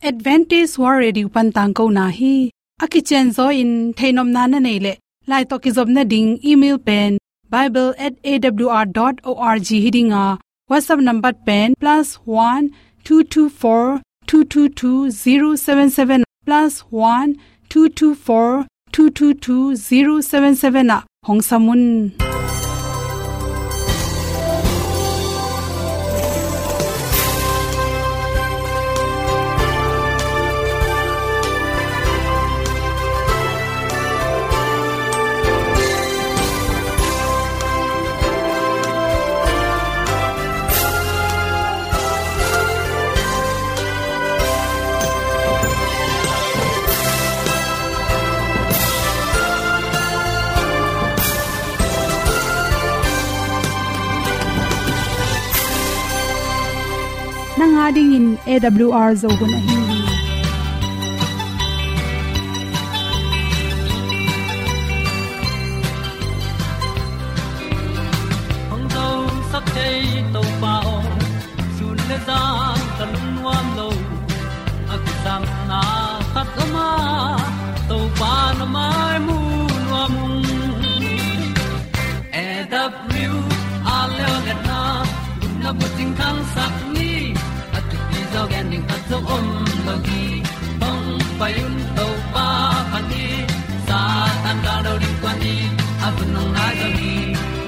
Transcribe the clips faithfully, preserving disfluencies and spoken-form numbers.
Adventist World Radio pan tangkona hi. A kicianzaw in theihnopna na neih leh, lai tawh kizopna ding email pen bible at A W R dot org hi ding a, WhatsApp number pen plus one two two four two two two zero seven seven, plus one two two four two two two zero seven seven ah hong sam un. Nang a dingin A W R Zo hun ahi hi. Hong zosak thei Topa aw, sun le zan ka lungnuam lo. A kisapna khat om a, Topa na mai mu nuam ung. A W R Zo hun na bucing thangsak ni, a thupi zaw gen ding khat zong om lo hi. Hong pai un Topa phat ni, Satan gal do ding kuan ni, a hun hong nai zo hi.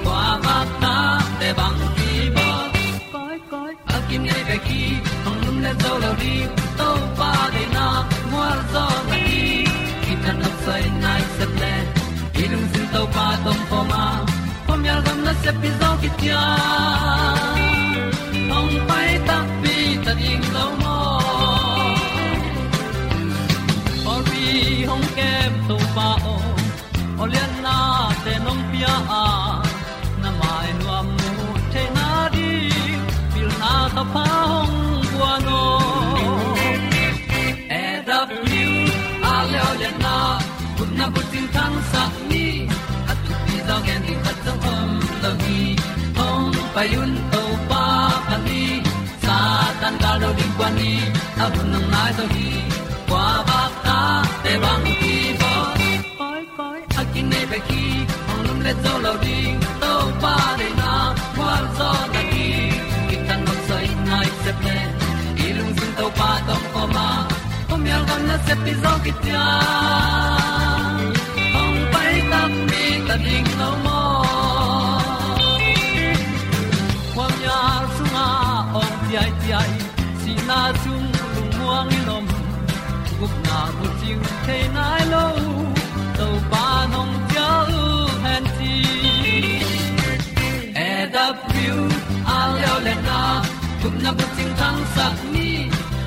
Kua vak ta te bang hi baw. Koi, koi, a kinei bek hi, hong lum le zo lo ding, Topa deihna mual zaw na hi. Kithat nop soi nai sep le, i lungsim Topa tawh kawm a, khuamial gam nasep pi zaw kician. Hong pai takpi ta ding lo maw. Pawlpi hong kem Topa aw, awliatnate nong pia a, na mai nuam mu theihna ding pilna thupha hong guan aw. A W R Zo hun na bucing thangsak ni, a thupi zaw gen ding khat zong om lo hi. Hong pai un Topa phat ni, Satan gal do ding kuan ni, a hun hong nai zo hi. Kua vak ta te bang hi baw. Koi, koi, a kinei bek hi, hong lum le zo lo ding, Topa deihna mual zaw na hi. Kithat nop soi nai sep le, i lungsim Topa tawh kawm a, khuamial gam nasep pi zaw kician. Hong pai takpi ta ding lo maw. Khuamial sungah awng ciaiciai, sihna sung lungmuang in om, gupna bucing thei nai lo, Topa nong cial hen ci. A W R Zo hun na gupna bucing thangsak ni,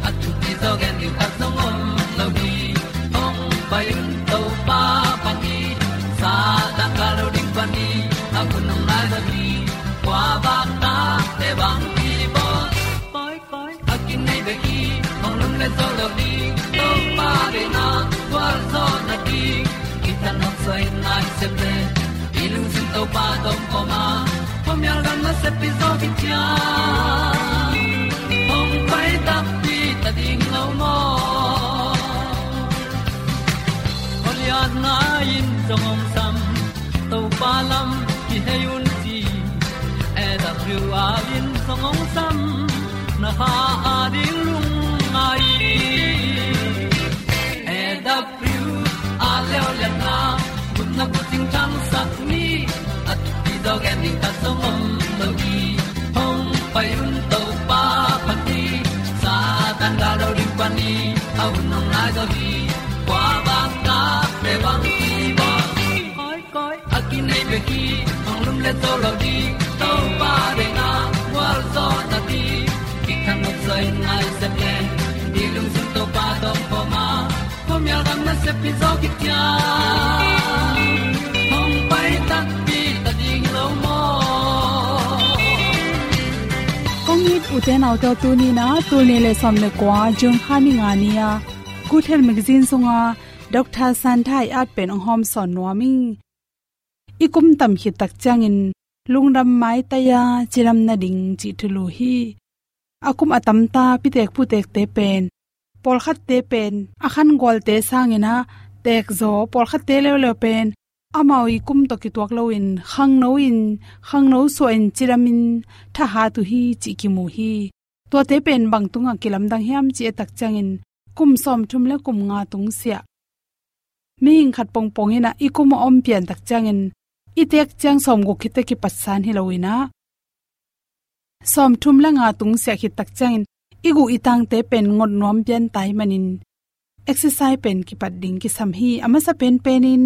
a thupi zaw gen ding khat zong om lo hi. Hong pai un Topa phat ni, Satan gal do ding kuan ni, a hun hong nai zo hi. Kua vak ta te bang hi baw. Koi, koi, a kinei bek hi, hong lum le zo lo ding, Topa deihna mual zaw na hi. Kithat nop soi nai sep le, i lungsim Topa tawh kawm a, khuamial gam nasep pi zaw kician. Hong pai takpi ta ding lo maw. Awliatna in zong hong sam, Topa lam kihei un ci. A W R in zong hong sam, na kha a ding lungngai. A W R Zo hun na bucing thangsak ni, a thupi zaw gen ding khat zong om lo hi. Hong pai un Topa phat ni, Satan gal do ding kuan ni, a hun hong nai zo hi. Kua vak ta te bang hi baw. Koi, koi, a kinei bek hi, hong lum le zo lo ding, Topa deihna mual zaw na hi. Kithat nop soi nai sep le, i lungsim Topa tawh kawm a, khuamial gam nasep pi zaw kician. Hong pai takpi ta ding lo maw. Kong it u te nau te aw, tuni in ah tul nih le sawm le kua, June kha ni nga ni-a Good Health Magazine sunga Doctor Santha i at pen hong hawmsawn nuam ing. I kum tam khit tak ciangin lungdam maitai-a cidam nading cih thulu hi. A kum a tamta pitek putekte pen Pawlkhatte pen a khan gualte sangin ah teekzaw, pawlkhatte leuleu pen amau i kum tawh kituak loin khangno in, khangno suahin cidamin thahat uh hi cih kimu hi. Tuate pen bang tungah kilamdang hiam cih i et tak ciangin kum sawmthum le kum nga tungsiah, mihing khat pongpong in ah i kum a om pian tak ciangin i teek ciang sawmguk khit teh kipatsan hi loin ah, sawmthum le nga tungsiah khit tak ciangin i guh i tangte pen ngot nuam pian ta ahih manin exercise pen kipat ding kisam hi. A masa penpenin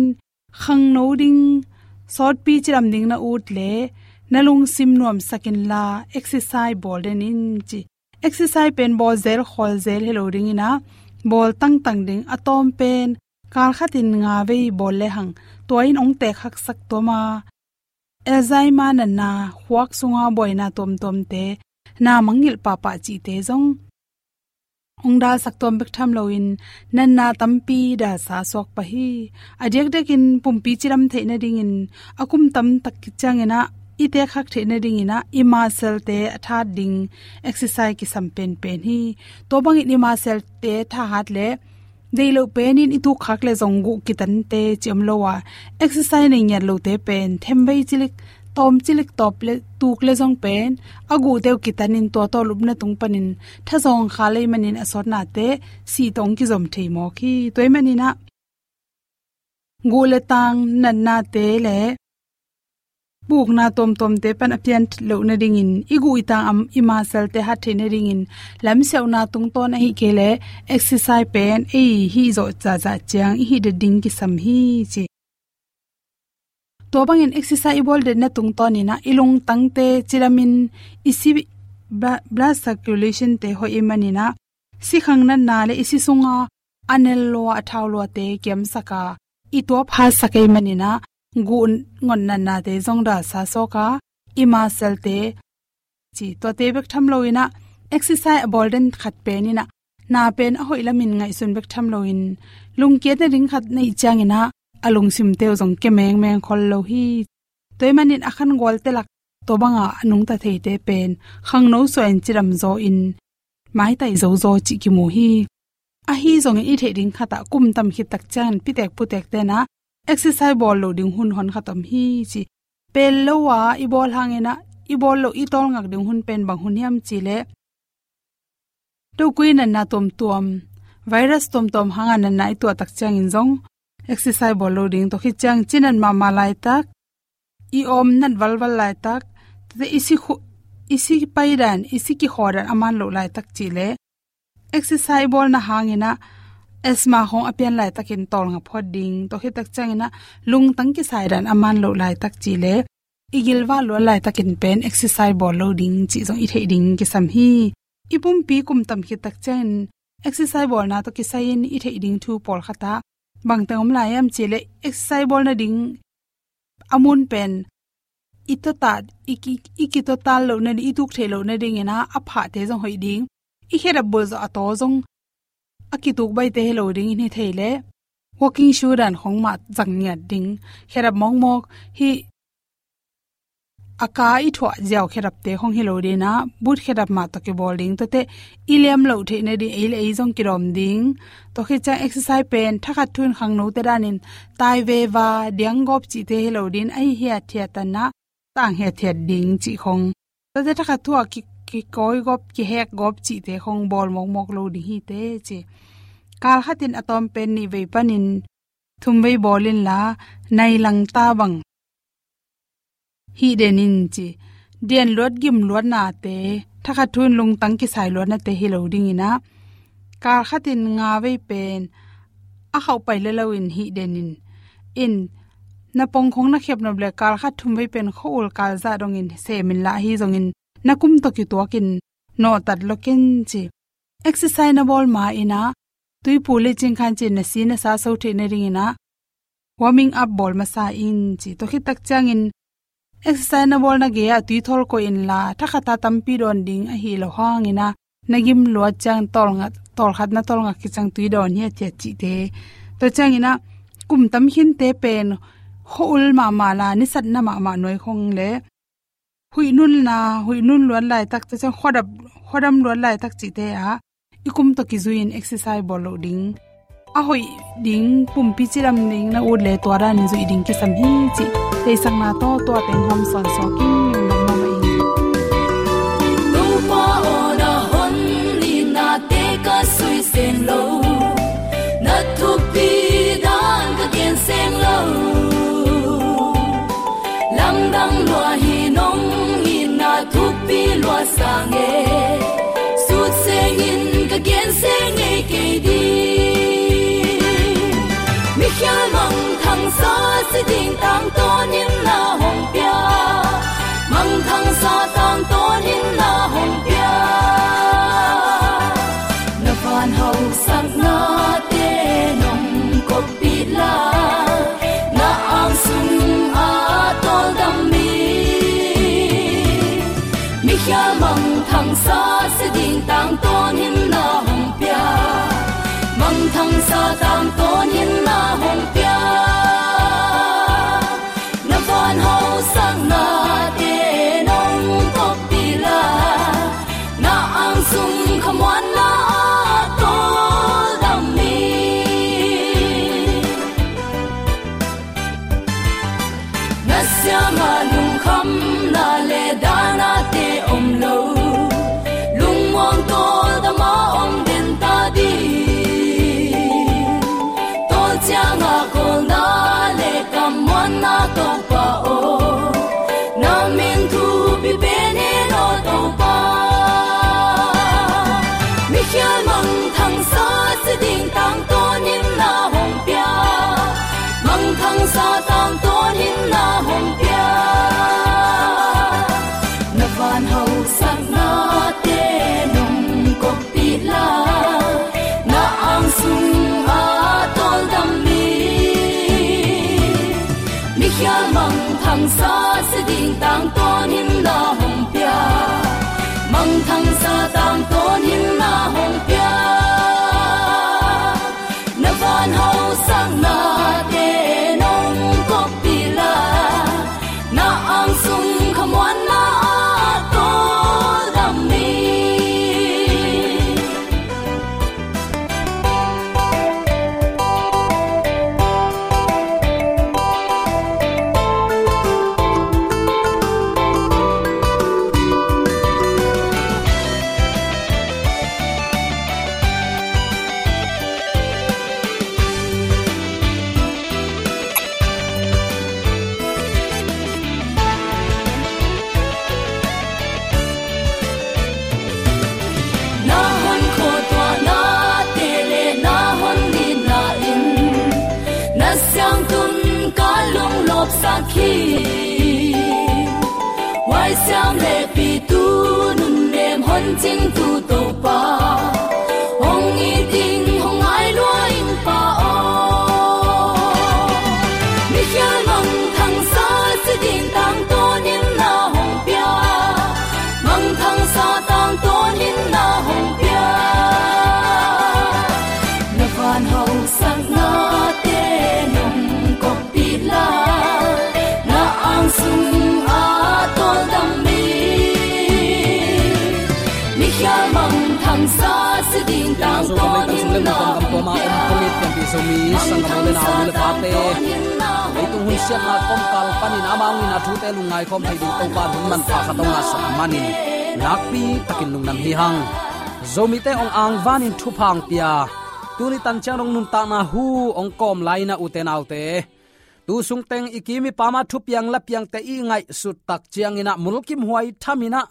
khangno ding, sawtpi cidam ding na ut leh na lungsim nuamsak inla exercise bawl den in ci. Exercise pen bawl zel khawl zel hi lo dingin ah, bawl tangtang ding, a tawm pen kal khatin nga vei bawl lehang tua in hong teek haksak tuam a, Alzheimer natna, khuak sunga buaina tuamtuamte, na mangngilh pahpah cihte zong hong dalsak tuam bek tham loin natna tampi dalsa suak pah hi. A diakdiakin pumpi cidam theih nadingin, a kum tam tak ciangin ah i teek hak theih nadingin ah i muscle-te a thahat ding exercise kisam penpen hi. Tua bangin i muscle-te thahat leh deih loh penin i tuk khak leh zong guh kitante ci om lo a, exercise nei ngiat lote pen themvei cilik, tawm cilik tawp leh tuk leh zong pen a guhte uh kitanin tua tawh lupna tung panin thazawng kha lei manin a sawtnate sih tawh hong kizom thei mawk hi. Tua ahih manin ah guh le tang natnate le pukna tuamtuamte pan a pian loh nadingin, i guh i tang a, i muscle-te hat theih nadingin lamsiauhna tungtawn ahih kei leh exercise pen ei hih zawh zahzah ciang i hih det ding kisam hi ci. Tua bangin exercise i bawl detna tungtawnin ah i lungtangte cidamin i si, bla-, blood circulation-te hoih ahih manin ah sikhang natna le i si sunga a nel lua, a thau luate kiamsak a, i tuap hatsak ahih manin ah guh ngot natnate zong dalsa suak a, i muscle-te ci, tuate bek tham loin ah exercise a bawl den khat penin ah na pen a hoih lamin ngaihsun bek tham loin, lungkiat nading khat na hih ciangin ah a lungsimte uh zong kia mengmeng khol lo hi. Tua ahih manin a khan gualte lak tua banga a nungta theite pen khangno suahin cidam zaw in maitai zozaw cih kimu hi. Ahi zongin i theih ding khatah kum tam khit tak ciangin pitek putekte'n ah exercise bawl loh ding hun hon khat om hi ci. Pel lo a i bawl hangin ah i bawl loh i tawlngak ding hun pen bang hun hiam cih leh, tokui natna tuamtuam, virus tuamtuam hanga natna i tuah tak ciangin zong exercise bawl lo ding, tua khit ciang cinat mahmah laitak, i awm nat valval laitak, tate i si khu-, i si paidan, i si kikhaw dan a man loh laitak cih leh, exercise bawlna hangin ah asthma khawng a pian laitakin tawlnga phawt ding, tua khit tak ciangin ah lungtang kisai dan a man loh laitak cih leh, i gilvah luat laitakin pen exercise bawl lo ding cih zong i theih ding kisam hi. I pumpi kum tam khit tak ciangin exercise bawlna tawh kisai-in i theih ding thu pawlkhat ah bangteng om lai hiam cih leh, exercise bawlna ding a mun pen i tawtat, i ki, i kitawtat loh nading, i tuk theih loh nadingin ah a phahte zong hoih ding, i khedap bulh zawh a taw zong a kituk baihte hi lo ding in hi thei leh, walking shoe dan khawng mah zang ngiat ding, khedap mawkmawk, hih a ka i thuah ziau khedapte khawng hi lo dingin ah, boot khedap mah tawh kibawl ding, tuate i liam loh theih nading ei le ei zong kidawm ding. Tua khit ciang exercise pen thakhat thu-in khangnote danin tai veva, diang gawp cihte hi lo dingin, ahi hiathiat tanah tang hiathiat ding cih khawng, tuate thakhat thu-ah ki, kikawi gawp, kihek gawp cihte khawng bawl mawkmawk lo ding hi teh ci. Kal khatin a tawm pen nih vei panin thum vei bawl inla, nai langta bang hih den in ci. Dian luat gim luatnate, thakhat thu-in lungtang kisai luatnate hi lo dingin ah, kal khatin nga vei pen a khauh pai leh lo in hih den in. In, na pong khawng na khep nop leh kal khat thum vei pen khua-ul kal zah dongin sem inla, ahi zongin na kum tawh kituakin nawhtat lo ken ci. Exercise na bawl ma-in ah, tuipu le cingkhan ci-in na si na sa so theih nadingin ah warming up bawl masa in ci. Tua khit tak ciangin exercise na bawlna gei-ah tui thawl koih inla, thakhata tampi dawn ding ahi lo hangin ah, na gim luat ciang tawlnga, tawlkhat na tawlnga khit ciang tui dawn hiathiat cihte. Tua ciangin ah kum tam khinte pen khua-ul mahmah la, nisatna mahmah nuai khawng leh huih nunna, huih nun luat laitak, tua ciang khuadap, khuadam luat laitak cihte ah i kum tawh kizui-in exercise bawl loh ding, a hoih ding, pumpi cidam ding na ut le tua danin zuih ding kisam hi cih theihsakna tawh tua teng hawm sawnsawn kik nuam mahmah ing. Topa aw, na hon nitnate ka suisen lo, na thupi dan ka gensen lo. Lamdang lua hi, nong itna thupi lua sang e, sut sengin ka gensen ngei kei ding. Mikhial mangthangsa si ding tangtawnin na hong pia, mangthangsa tangtawnin na hong pia. Na van hausaknate nong koppih la, na ang sung a tawldam mi, mikhial mangthangsa si ding tangtawnin na hong pia, mangthangsa tangtawnin na hong pia. Na van hausaknate nong koppih la, na ang sung khamuanna a tawldam mi, na siangah lungkhamna le dahnate om lo, lungmuang tawldam a om den ta ding. Tawlciangah kawlna le kammuanna Topa aw, na min thupi pen hi lo Topa. Mikhial mangthangsa si ding tangtawnin na hong pia, mangthangsa tangtawnin na hong pia. Na van hausaknate nong koppih la, na ang sung a tawldam mi, mikhial mangthangsa si ding tangtawnin na hong pia, mangthangsa tangtawnin na hong pia. Na van hausaknate nong koppih la, na ang sung khamuanna a tawldam mi. Na hon khuatuahnate le na hon nitna in na siangtun ka lunglawpsak hi. Huaisiam le pitu nunnem hon cingtu Topa, hong it ing hong ngai lua ing Pa aw. Mikhial mangthangsa si ding tangtawnin na hong pia, mangthangsa tangtawnin na hong pia. Na van hausaknate nong koppih la, na ang sung a tawldam mi, mikhial mangthangsa si ding tangtawnin na hong pia. Zomi sanggam le nau le pate, leitung hun siatna kawmkal panin amau in a thute lungngai khawm thei ding Topa hun manpha khat hong ngahsak manin nakpi takin lungdam hi hang. Zomite hong angvanin thupha hong pia, tuni tan ciang dong nuntakna hu hong kawm lai-in ah, ute naute, tu sungteng i kim i pam a thupiang lapiangte i ngaihsut tak ciangin ah mulkimhuai thamin ah,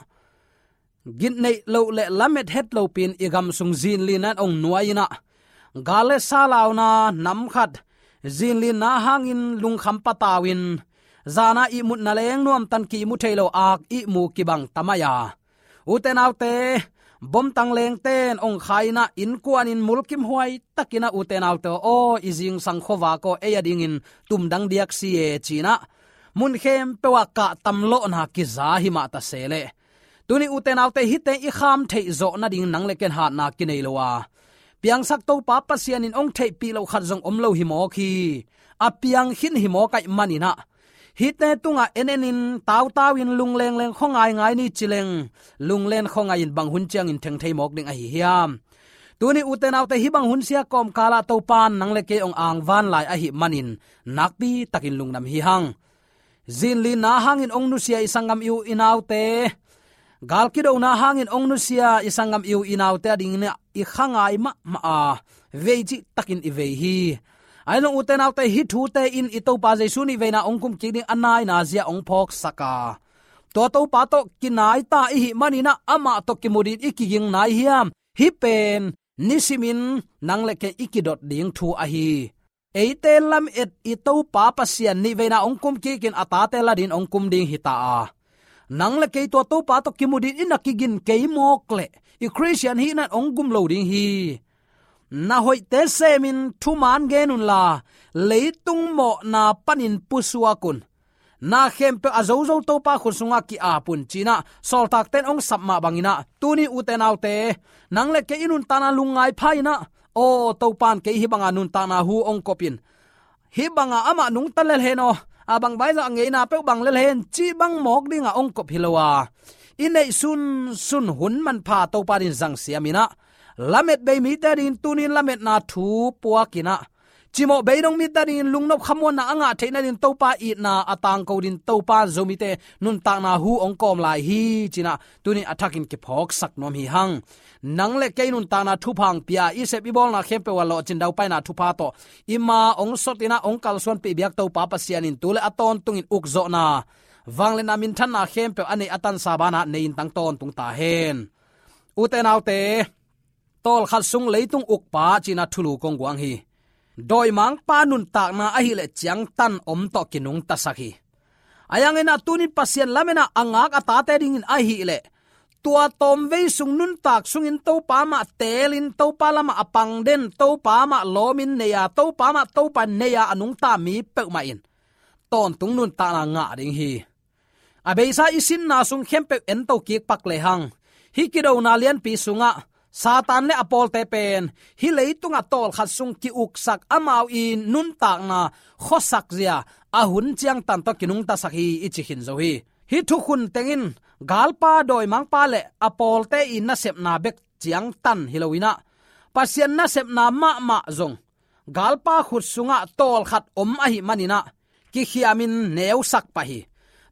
gitneih loh le lamet het lopi-in i gam sung zinlinna in hong nuai-in ah, gal le sa launa nam khat zinlinna hangin lungkham patau-in, zan a ihmutna leng nuamtan kimu thei lo, ak ihmu kibang ta mai a, ute naute, bomtang lengte in hong khai-in ah, innkuanin mulkimhuai takin ah, ute naute aw, i zingsang khuavak aw, ei a dingin tumdang diak si e, ci-in ah, mun khempeuh ah kahtam lawhna kiza hi mah ta se leh, tuni ute naute, hihte i kham theih zawh nading nang le ken hatna kinei lo a, piangsak Topa Pasian in hong theihpih loh khat zong om lo hi mawk hi. A piang khin hi mawk ahih manin ah, hihte tungah en enin, tautau-in, lunglengleng khuangaingai ni ci leng, lunglen khuangai-in bang hun ciangin theng thei mawk ding ahi hiam? Tuni ute naute, hih bang hun sia kawmkalah Topan nang le kei hong angvan lai ahih manin nakpi takin lungdam hi hang. Zinlinna hangin hong nusia i sanggam i u i naute, gal kidona hangin hong nusia i sanggam i u i naute adingin i kha ngai mahmah a, vei cih takin i vei hi. Ahi zong ute naute, hih thute in i Topa Jesu nih veina hong kum kik ding a naina zia hong phawksak a, tua Topa tawh kinai ta i hih manin ah amah tawh kimu dingin i kiging nai hiam? Hih pen nisimin nang le kei i kidot ding thu ahi. Eite lamet i Topa Pasian nih veina hong kum kikin a tate la dingin hong kum ding hi ta a, nang le kei tua Topa tawh kimu dingin i na kigin kei mawk leh i Khristian hihna in hong gum lo ding hi. Na hoihte semin thuman gen unla, leitung mawhna panin pusuak un. Na khempeuh a zozo Topa khut sungah ki-ap un, ci-in ah sawltakte in hong sap mah bangin ah, tuni ute naute, nang le kei i nuntakna lungngai pha-in ah, aw, Topa in kei hih banga nuntakna hu hong kop in, hih banga amah nungta lel hen aw, a bang baizah a ngeina peuh bang lel hen, cih bang mawk dingah hong kop hi lo a, i neih sunsun hun manpha Topa in zangsiam in ah, lamet bei mite adingin tuni in lametna thu puak in ah, cimawh beidong mite adingin lungnop khamuanna a ngah theihna dingin Topa itna a tangko dingin Topa Zomite nuntakna hu hong kawm lai hi, ci-in ah tuni a thakin kiphawksak nuam hi hang. Nang le kei nuntakna thupha hong pia, i sep i bawlna khempeuh ah lawhcin daupaina thupha tawh i ma hong sot in ah hong kalsuanpih biak Topa Pasian in tu le a tawntungin ukzawhna, vangliatna, minthanna khempeuh a neih a tansa banah nei in tang tawntung ta hen. Ute naute, tawlkhat sung leitung ukpa ci-in ah thulu kong guang hi. Dawimangpa nuntakna ahih leh ciangtan om tawh kinungtasak hi. Ahi hangin ah tuni in Pasian lametna a ngak a tate dingin ahih leh, tua tawmvei sung nuntak sungin Topa mah teelin, Topa lamah a pang den, Topa mah lawmin nei a, Topa mah Topa in nei a, a nungta mi peuhmah in tawntung nuntakna ngah ding hi. A beisa i sinna sung khempeuh ento kik pak lehang, hih kidona lianpi sungah Satan le a pawlte pen hih leitungah tawlkhat sung ki-uksak, amau i nuntakna khuasak zia a hun ciangtan tawh kinungtasak hi, i ci khin zo hi. Hih thukhun teng in galpa, dawimangpa le a pawlte i nasepna bek ciangtan hi lo in ah, Pasian nasepna mahmah zong galpa khut sungah tawlkhat om ahih manin ah kikhiamin neusak pah hi.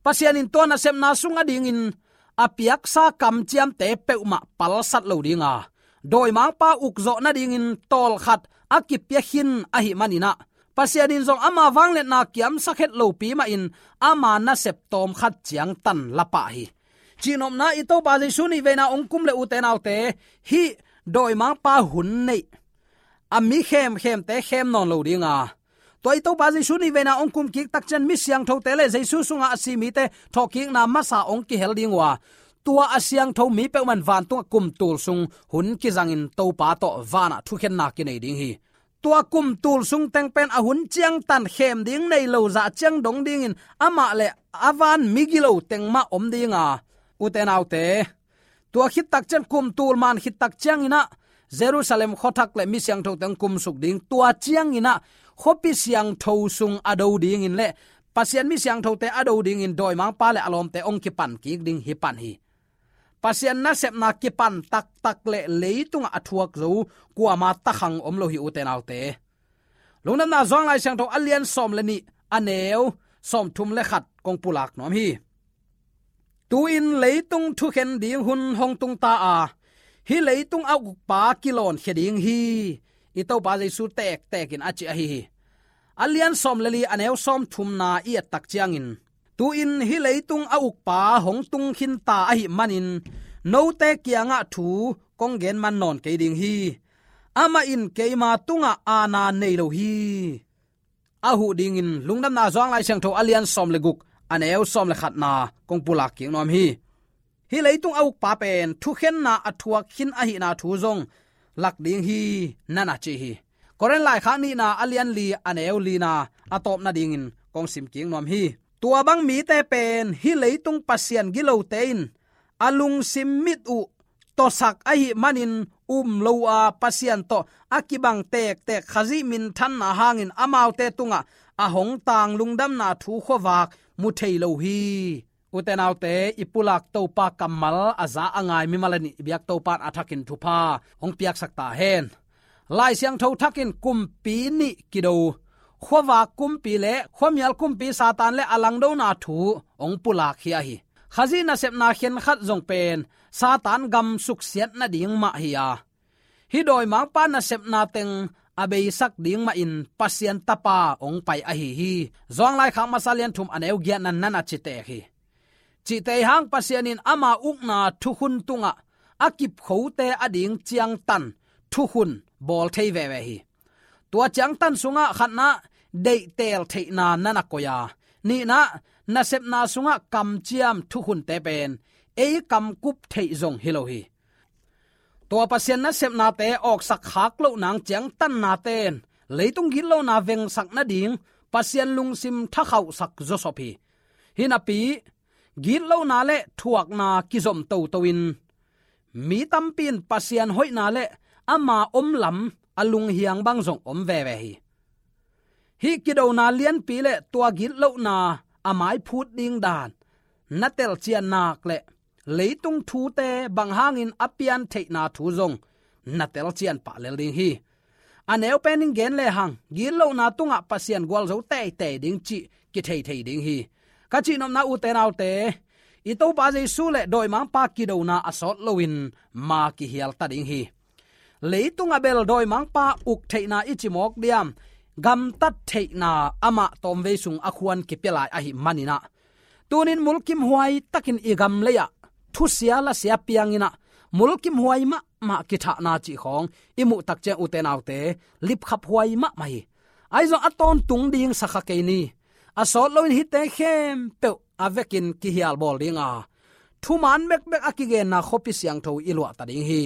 Pasian in tua nasepna sung adingin a piaksa kamciamte peuhmah palsat lo ding a, dawimangpa ukzawh nadingin tawlkhat a kipia khin ahih manin ah, Pasian in zong ama vangliatna kiamsak het lopi mahin ama nasep tawmkhat ciangtan la pah hi. Cihnopna, i Topa Jesu nih veina hong kum leh ute naute, hih dawimangpa hun neih a mi khemkhemte khem nawn lo ding a, tua i Topa Jesu nih veina hong kum kik tak ciang mi siangthote le Jesu sungah a si mite thawhkikna masa hong kihel ding uh a, tua a siangtho mi peuhmah in vantungah kum tul sung hun kizangin Topa tawh vanah thukhenna kinei ding hi. Tua kum tul sung teng pen a hun ciangtan khem ding nei lo, zah ciang dong dingin amah le a van migilo teng mah om ding a, ute naute, tua khit tak ciang, kum tul man khit tak ciangin ah Jerusalem khuathak le mi siangthote hong kumsuk ding, tua ciangin ah khuapi siangtho sung a do dingin le Pasian mi siangthote a do dingin dawimangpa le a lawmte hong kipan kik ding hi pan hi. Pasian nasepna kipan taktak le leitungah a thuak zo kuama takhang om lo hi, ute naute. Lungdamna Johan Lai Siangtho a lian sawm le nih, a neu sawmthum le khat kong pulak nuam hi. Tu-in leitung thukhen ding hun hong tung ta a, hih leitung a ukpa kilawnkhia ding hi, i Topa Jesu tektekin a ci ahi hi. A lian sawm le li, a neu sawmthumna i et tak ciangin, tu-in hih leitung a ukpa hong tung khin ta ahih manin note kiangah thu kong gen man nawn kei ding hi. Amah in keima tungah aana nei lo hi. A huh dingin Lungdamna Johan Lai Siangtho a lian sawm le guk, a neu sawm le khatna kong pulak kik nuam hi. Hih leitung a ukpa pen thukhenna a thuak khin ahihna thu zong lak ding hi, na na ci hi. Korin laikhak nihna a lian li, a neu lina a tawp nadingin kong sim kik nuam hi. Tua bang mite pen hih leitung pasian gilote in a lungsim mit uh tawsak ahih manin um lo a, Pasian tawh a kibang tektek Khazih minthanna hangin amaute tungah a hong tang lungdamna thu khuavak mu thei lo hi. Ute naute, i pulak Topa kammal a za a ngai mimal a nih i biak Topa in a thakin thupha hong piaksak ta hen. Lai Siangtho thakin kumpi nih kido, khuavak kumpi le khuamial kumpi Satan le a langdona thu hong pulak hi ahi. Khazih nasepna khenkhat zong pen Satan gam suksiat nading mah hi a, hih dawimangpa nasepna teng a beisak ding mahin Pasian Tapa hong pai ahi hi. Johan laikhak masa lian thum a neu giatna nan a citek hi. Cihte hang Pasian in ama ukna thukhun tungah a kipkhote ading ciangtan thukhun bawl thei veve hi. Tua ciangtan sungah khatna, deihteel theihna nan a koih a, nihna, nasepna sungah kamciam thukhunte pen ei kamkup theih zong hi lo hi. Tua Pasian nasepnate awksak khak loh nang ciangtannate'n leitung gitlona vengsak nading Pasian lungsim thakhauhsak zawsop hi. Hinapi, gitlona le thuakna kizom toto in mi tampi in Pasian hoihna le ama omlam a lunghiang bang zong om veve hi. Hih kidona lianpi le tua gitlona a maiphut ding dan na telcian nak le leitung thute bang hangin a pian theihna thu zong na telcian pah lel ding hi. A neu pen in gen lehang, gitlona tungah Pasian gualzo teitei ding cih kithei thei ding hi. Ka cihnopna, ute naute, i Topa Jesu le dawimangpa kidona a sawt loin ma kihial ta ding hi. Leitung a bel dawimangpa uk theihna i ci mawk diam, gamtat theihna amah tawmvei sung a khuan kipia lai ahih manin ah, tunin mulkimhuai takin i gam lei-ah thusia lasia piangin ah, mulkimhuai mahmah kithahna cih khawng i muh tak ciang, ute naute, lipkhaphuai mahmah hi. Ahi zong a tawntung ding sa kha kei ni. A sawt loin hihte khempeuh a vekin kihial bawl ding a, thuman bekbek a kigenna khuapi siangtho i luah ta ding hi.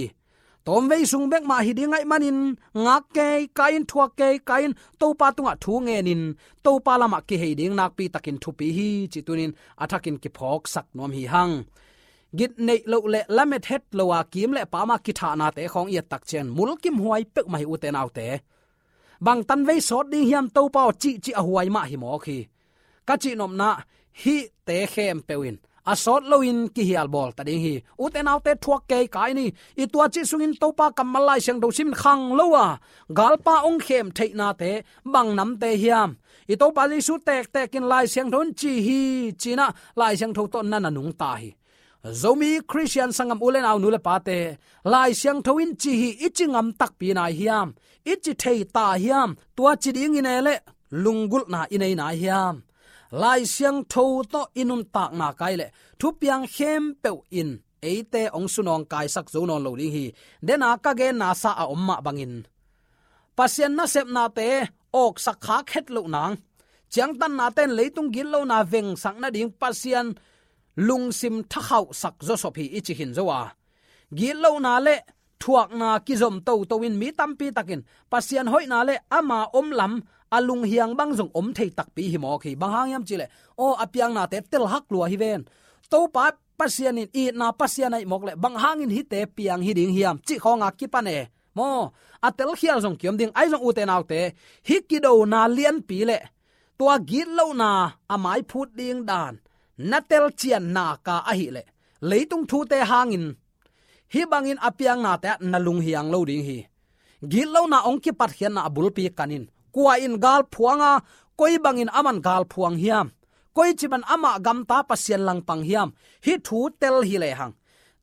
Tawmvei sung bek mah hi ding ahih manin, ngak kei ka in, thuak kei ka in, Topa tungah thu ngenin, Topa lamah kihei ding nakpi takin thupi hi, cih tunin a thakin kiphawksak nuam hi hang. Gitneih loh le lamet het lo a, kim le paam a kithahnate khawng i et tak ciang, mulkimhuai peuhmah hi, ute naute. Bang tanvei sawt ding hiam Topa aw, cihcih a huai mah hi mawk hi. Ka cihnopna, hihte khempeuh in a sawt loin kihial bawl ta ding hi. Ute naute, thuak kei ka in hi. I tuacih sungin Topa kammal Lai Siangtho simin khang lo a, galpa hong khem theihnate bang namte hiam? I Topa Jesu tektek in Lai Siangtho in ci hi, ci-in ah Lai Siangtho tawh na na nungta hi. Zomi Khristian sanggam u le nau, nu le pate, Lai Siangtho in ci hi i ci ngam takpi nai hiam? I ci thei ta hiam? Tua ci ding i nei leh lunggulhna i nei nai hiam? Lai Siangtho tawh i nuntakna kai leh thupiang khempeuh in eite hong sunawngkaisak zo nawn lo ding hi. Dena ka genna sa a om mah bangin, Pasian nasepnate awksak khak het loh nang, ciangtannate in leitung gitlona vengsak nading Pasian lungsim thakhauhsak zawsop hi i ci khin zo a, gitlona le thuakna kizom toto in mi tampi takin Pasian hoihna le ama omlam a lunghiang bang zong om thei takpi hi mawk hi. Bang hang hiam cih leh, aw, a piaknate telhak lua hi ven. Topa Pasian in itna Pasian ahih mawk leh bang hangin hihte piang hi ding hiam cih khawng a kipan e. Maw, a telkhial zong kiom ding. Ahi zong, ute naute, hih kidona lianpi le tua gitlona a maiphut ding dan na telcian nak a ahih leh, leitung thute hangin hih bangin a piaknate ah na lunghiang lo ding hi. Gitlona hong kipatkhiatna a bulpi kan in, kua in gal phuang a, koi bangin aman gal phuang hiam? Koici bangin amah gamta Pasian langpang hiam? Hih thu tel hi lehang,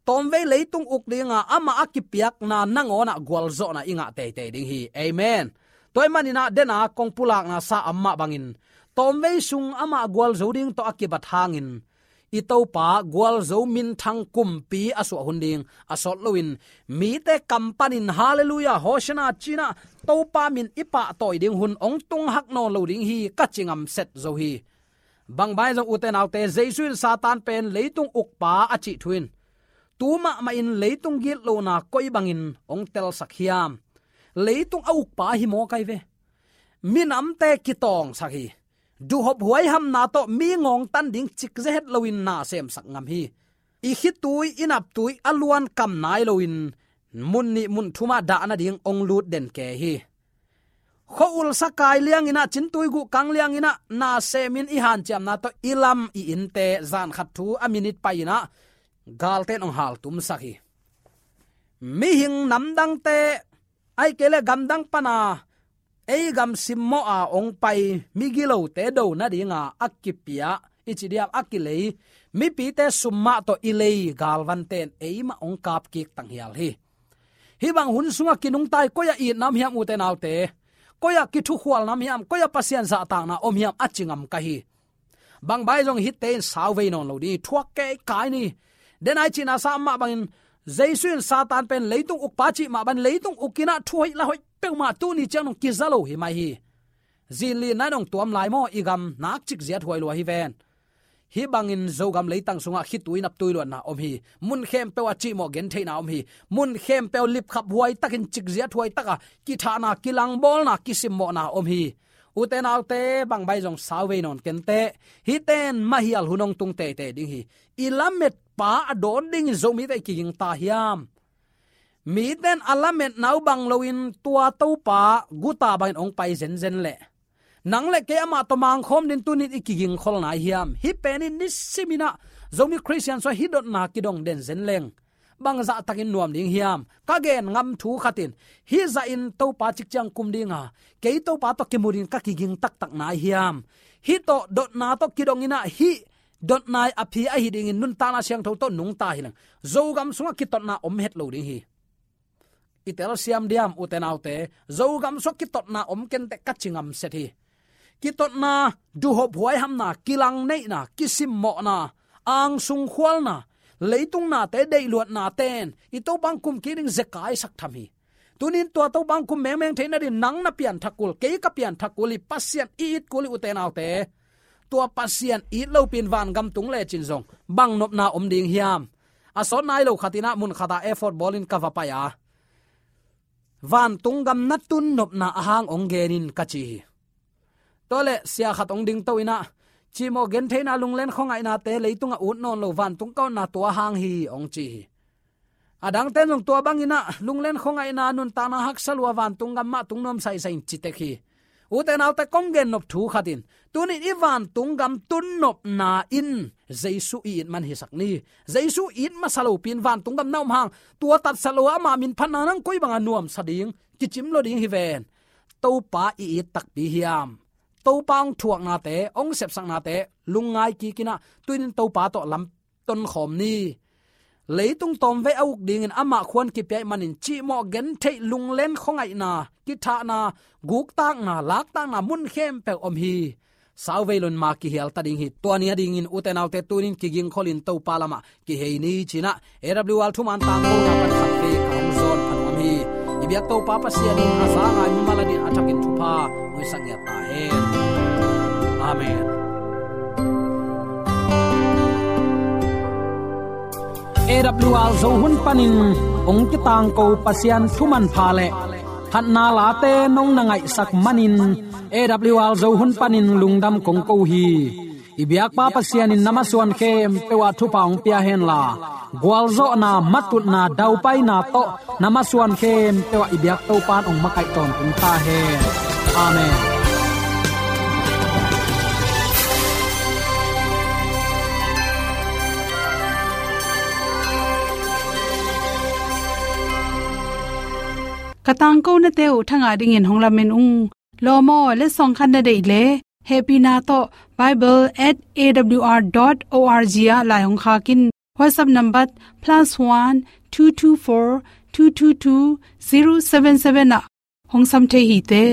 tawmvei leitung uk dinga amah a kipiakna nangawnah gualzawhna i ngah teitei ding hi. Amen. Tua ahih manin ah, dena kong pulakna sa a om mah bangin, tawmvei sung amah gualzo ding tawh a kibat hangin, i Topa gualzo minthang kumpi a suah hun ding a sawt loin, mite kam panin Halleluiah, Hosianna ci-in ah Topa min i pahtawi ding hun hong tung hak nawn lo ding hi, ka ci ngam set zo hi. Bang bang zong, ute naute, Jesu in Satan pen leitung ukpa a cih thu in, tu mahmah in leitung gitlona koi bangin hong telsak hiam? Leitung a ukpa hi mawk ai ve. Minamte kitawngsak hi. Duhhop huaihamna tawh mi ngawngtan ding cik zehet loin na semsak ngam hi. I khitui, i naptui a luan kam nai loin mun nih mun thumah dah nading hong lut den kei hi. khua-ul sakai lianginah, cintui guh kang lianginah, na semin i hanciamna tawh i lam i innte zan khat thu a minit pai-inah galte in hong haltumsak hi. Mihing namdangte, ahih kei leh gamdang pana ei gam simmawh a hong pai migilote do nadinga a kipia i ci diam, a kilei mipite sum mah tawh i lei galvante in eimah hong kapkik tanghial hi. Hih bang hun sungah kinungta-in koi-ah itna om hiam, ute naute? Koi-ah kithukhualna om hiam? Koi-ah Pasian zahtakna om hiam, a ci ngam ka hi. Bang bang ahi zong hihte in sauvei nawn lo ding hi, thuak keikai ni. Denai cihna sa mah bangin, Jesu in Satan pen leitung ukpa cih mah bangin, leitung ukinah thu hoih la hoih peuhmah tuni ciang dong kiza lo hi mai hi. Zinlinna in hong tuam lai maw, i gam nak cik ziat huai lua hi ven. Hih bangin Zogam leitang sungah khitui naptui luatna om hi. Mun khempeuh ah cihmawh gentheihna om hi. Mun khempeuh lipkhap huai takin, cikziat huai taka kithahna, kilangbawlna, kisimmawhna om hi. Ute naute, bang bang ahi zong sauvei nawn kenteh. Hihte in mahial hun hong tung teitei ding hi. I lametpa a dawn dingin Zomite i kiging ta hiam? Mite in a lametna uh bang loin tua Topa guta bangin hong pai zenzen leh, nang le kei amah tawh mangkhawm dingin tuni-in i kigingkhol nai hiam? Hih pen in nisiminah Zomi Khristian sungah hih dotna kidong den zen leng bang zahtakin nuam ding hiam? Ka gen ngam thu khat in, hih zahin Topa cikciang kum dinga kei Topa tawh kimu dingin ka kiging taktak nai hiam? Hih tawh dotna tawh kidonginah hih dotna a phi ahi dingin nuntakna siangtho tawh nungta hi leng, Zogam sungah kitotna om het lo ding hi. I telsiam diam, ute naute? Zogam sungah kitotna om kenteh, ka ci ngam set hi. Kitotna, duhhop huaihamna, kilangneihna, kisimmawhna, angsung khualna, leitung nate deihluatnate in i Topa hong kum kik ding zekaisak tham hi. Tuni-in tua Topa hong kum mengmeng theih nadingin nang na pianthak kul, kei ka pianthak kul hi, Pasian i it kul hi, ute naute. Tua Pasian it lopi-in vangam tung lecin zong bang nopna om ding hiam? A sawt nai lo khatinah mun khatah effort bawlin ka va pai a, vantung gam na tun nopna a hang hong gen in, ka ci hi. Tua leh sia khat hong dingto inah, cihmawh gentheihna, lunglen khuangaihnate leitungah ut nawn lo, vantung ka otna tua hang hi, hong ci hi. A dangte in zong tua banginah lunglen khuangaihna, nuntakna haksa lua, vantung gam mah tung nuam saisai in ci tek hi. Ute naute, kong gennop thu khat in, tuni-in i vantung gam tun nopna in Jesu i it man hisak ni. Jesu it masa lopi-in vantung gam na om hang, tua tatsat lo a, ama min phatna nang koi banga nuamsa ding, kicim lo ding hi ven. Topa i it takpi hiam? Topa hong thuaknate, hong sepsaknate lungngai kikinah, tuni-in Topa tawh lam tonkhawm ni. Leitung tawmvei a uk dingin amah khuan kipia ih manin cihmawh gentheih, lunglen khuangaihna, kithahna, guktakna, laktakna mun khempeuh om hi. Sauvei loin ma kihial ta ding hi. Tua ni a dingin ute naute, tuni-in kigingkholin Topa lamah kihei ni cinah, A W R thuman tangkona pan khatvei ka hong zawn pha nuam hi. I biak Topa Pasian in a za a ngai mimal adingin a thakin thupha hong hisak ngiat ta hen. Amen. A W R Zo hun panin hong kitangko Pasian thuman pha le phatna late nong na ngaihsak manin, A W R Zo hun panin lungdam kong ko hi. I biakpa Pasian in na masuan khempeuh ah thupha hong pia henla, gualzawhna, matutna, daupaina tawh na masuan khempeuh ah i biak Topa in hong makaih tawntung ta hen. Amen. Ka tangkonate uh thangah dingin hong lamen ung. Lawm aw, letsong khat na deih leh, hehpihna tawh bible at A W R dot O R G ah lai hong khak in. WhatsApp number plus one two two four two two two zero seven seven ah hong sam thei hi te.